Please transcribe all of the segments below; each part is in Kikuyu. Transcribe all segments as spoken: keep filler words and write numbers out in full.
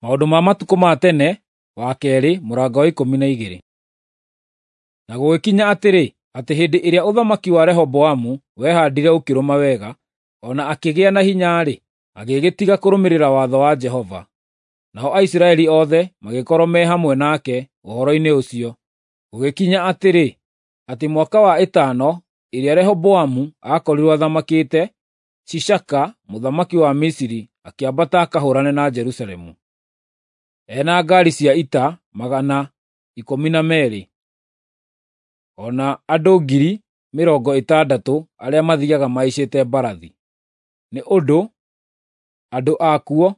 Maũndũ ma matukũ ma tene wa keerĩ mũrango wa ikũmi na igĩrĩ. Na gũgĩkinya atĩrĩ, atĩ hĩndĩ ĩrĩa ũthamaki wa Rehoboamu wehandire ũkĩrũma wega, o na akĩgĩa na hinya-rĩ, agĩgĩtiga kũrũmĩrĩra watho wa Jehova. Nao Aisiraeli othe magĩkorwo me hamwe nake ũhoro-inĩ ũcio. Gũgĩkinya atĩrĩ, atĩ mwaka wa ĩtano ĩrĩa Rehoboamu aakorirwo athamakĩte, Shishaka mũthamaki wa Misiri akĩambata akahũũrane na Jerusalemu. E na ngaari cia ita magana ikũmi na meerĩ, o na andũ ngiri mĩrongo ĩtandatũ arĩa mathiiaga mahaicĩte mbarathi, nĩ ũndũ andũ akuo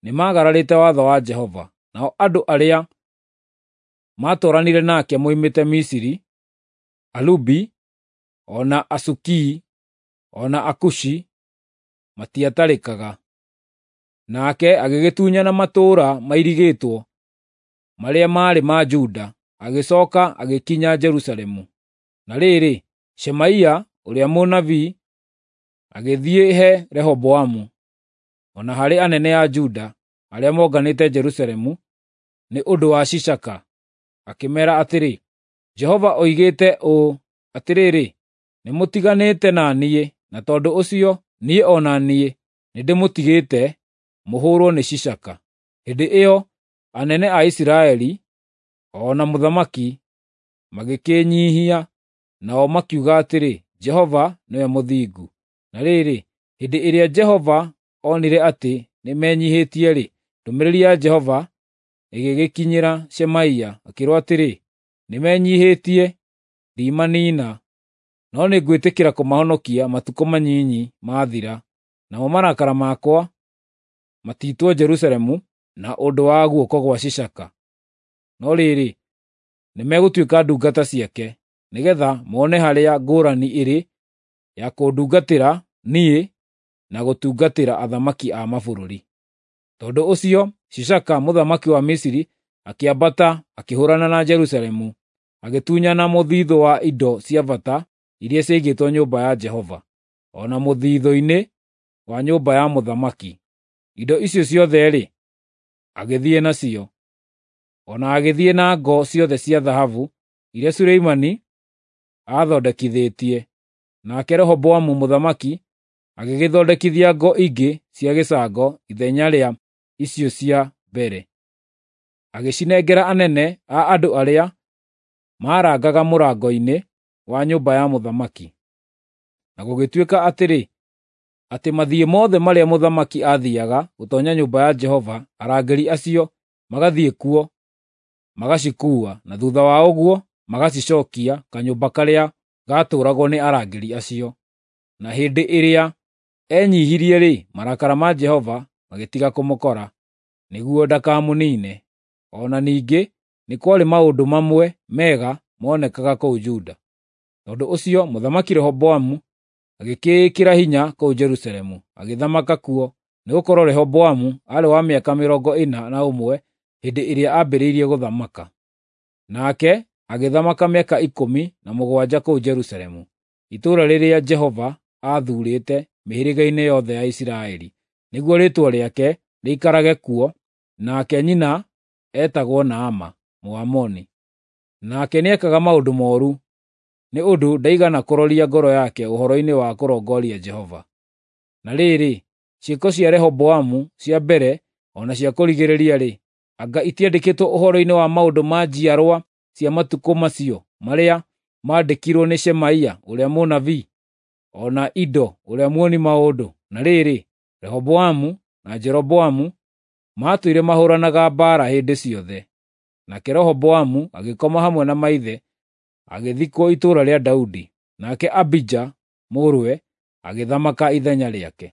nĩmagararĩte watho wa Jehova. Nao andũ arĩa maatwaranire nake moimĩte Misiri, Alubi, o na Asukii, o na Akushi matiatarĩkaga. Nake agĩgĩtunyana matũũra mairigĩtwo marĩa maarĩ ma Juda, agĩcooka agĩkinya Jerusalemu. Na rĩrĩ, Shemaia ũrĩa mũnabii agĩthiĩ he Rehoboamu, o na harĩ anene a Juda arĩa monganĩte Jerusalemu nĩ ũndũ wa Shishaka, akĩmeera atĩrĩ, “Jehova oigĩte ũũ, 'Atĩrĩrĩ, nĩmũtiganĩte na niĩ, na tondũ ũcio niĩ o na niĩ nĩndĩmũtigĩte mũhũũrwo nĩ Shishaka.' ” Hĩndĩ ĩyo anene a Isiraeli o na mũthamaki magĩkĩĩnyiihia, nao makiuga atĩrĩ, “Jehova nĩwe mũthingu.” Na rĩrĩ, hĩndĩ ĩrĩa Jehova onire atĩ nĩmenyiihĩtie-rĩ, ndũmĩrĩri ya Jehova ĩgĩgĩkinyĩra Shemaia, akĩĩrwo atĩrĩ, “Nĩmenyiihĩtie, ndimaniina, no nĩngwĩtĩkĩra kũmahonokia matukũ manyinyi maathira, namo marakara makwa matiitwo Jerusalemu na ũndũ wa guoko gwa Shishaka. No rĩrĩ, nĩmegũtuĩka ndungata ciake, nĩgeetha mone harĩa ngũũrani ĩrĩ ya kũndungatĩra niĩ na gũtungatĩra athamaki a mabũrũri.” Tondũ ũcio Shishaka mũthamaki wa Misiri akĩambata akĩhũũrana na Jerusalemu, agĩtunyana mũthiithũ wa indo cia bata iria ciaigĩtwo nyũmba ya Jehova, o na mũthiithũ-inĩ wa nyũmba ya mũthamaki. Indo icio ciothe-rĩ, agĩthiĩ nacio. O na agĩthiĩ na ngo ciothe cia thahabu iria Solomoni aathondekithĩtie. Nake Rehoboamu mũthamaki agĩgĩthondekithia ngo ingĩ cia gĩcango ithenya rĩa icio cia mbere, agĩcinengera anene a andũ arĩa maarangaga mũrango-inĩ wa nyũmba ya mũthamaki. Na gũgĩtuĩka atĩrĩ, atĩ mathiĩ mothe marĩa mũthamaki aathiiaga gũtoonya nyũmba ya Jehova, arangĩri acio magathiĩ kuo magacikuua, na thuutha wa ũguo magacicookia kanyũmba karĩa gaatũũragwo nĩ arangĩri acio. Na hĩndĩ ĩrĩa enyiihirie-rĩ, marakara ma Jehova magĩtiga kũmũkora, nĩguo ndakamũniine. O na ningĩ nĩ kwarĩ maũndũ mamwe mega moonekaga kũu Juda. Tondũ ũcio Mũthamaki Rehoboamu agĩkĩĩkĩra hinya kũu Jerusalemu, agĩthamaka kuo, nĩgũkorwo Rehoboamu aarĩ wa mĩaka mĩrongo ĩna na ũmwe hĩndĩ ĩrĩa aambĩrĩirie gũthamaka. Nake agĩthamaka mĩaka ikũmi na mũgwanja kũu Jerusalemu, itũũra rĩrĩa Jehova aathuurĩte mĩhĩrĩga-inĩ yothe ya Isiraeli, nĩguo Rĩĩtwa rĩake rĩikarage kuo, nake nyina eetagwo Naama, Mũamoni. Nake nĩekaga maũndũ mooru, nĩ ũndũ ndaigana kũroria ngoro yake ũhoro-inĩ wa kũrongoria Jehova. Na rĩrĩ, ciĩko cia Rehoboamu cia mbere o na cia kũrigĩrĩria-rĩ, anga itiandĩkĩtwo ũhoro-inĩ wa maũndũ ma njiarwa cia matukũ macio marĩa maandĩkirwo nĩ Shemaia ũrĩa mũnabii, o na Ido ũrĩa muoni maũndũ? Na rĩrĩ, Rehoboamu na Jeroboamu maatũire mahũũranaga mbaara hĩndĩ ciothe. Nake Rehoboamu agĩkoma hamwe na maithe, agĩthikwo itũũra rĩa Daudi. Nake Abija mũrũwe agĩthamaka ithenya rĩake.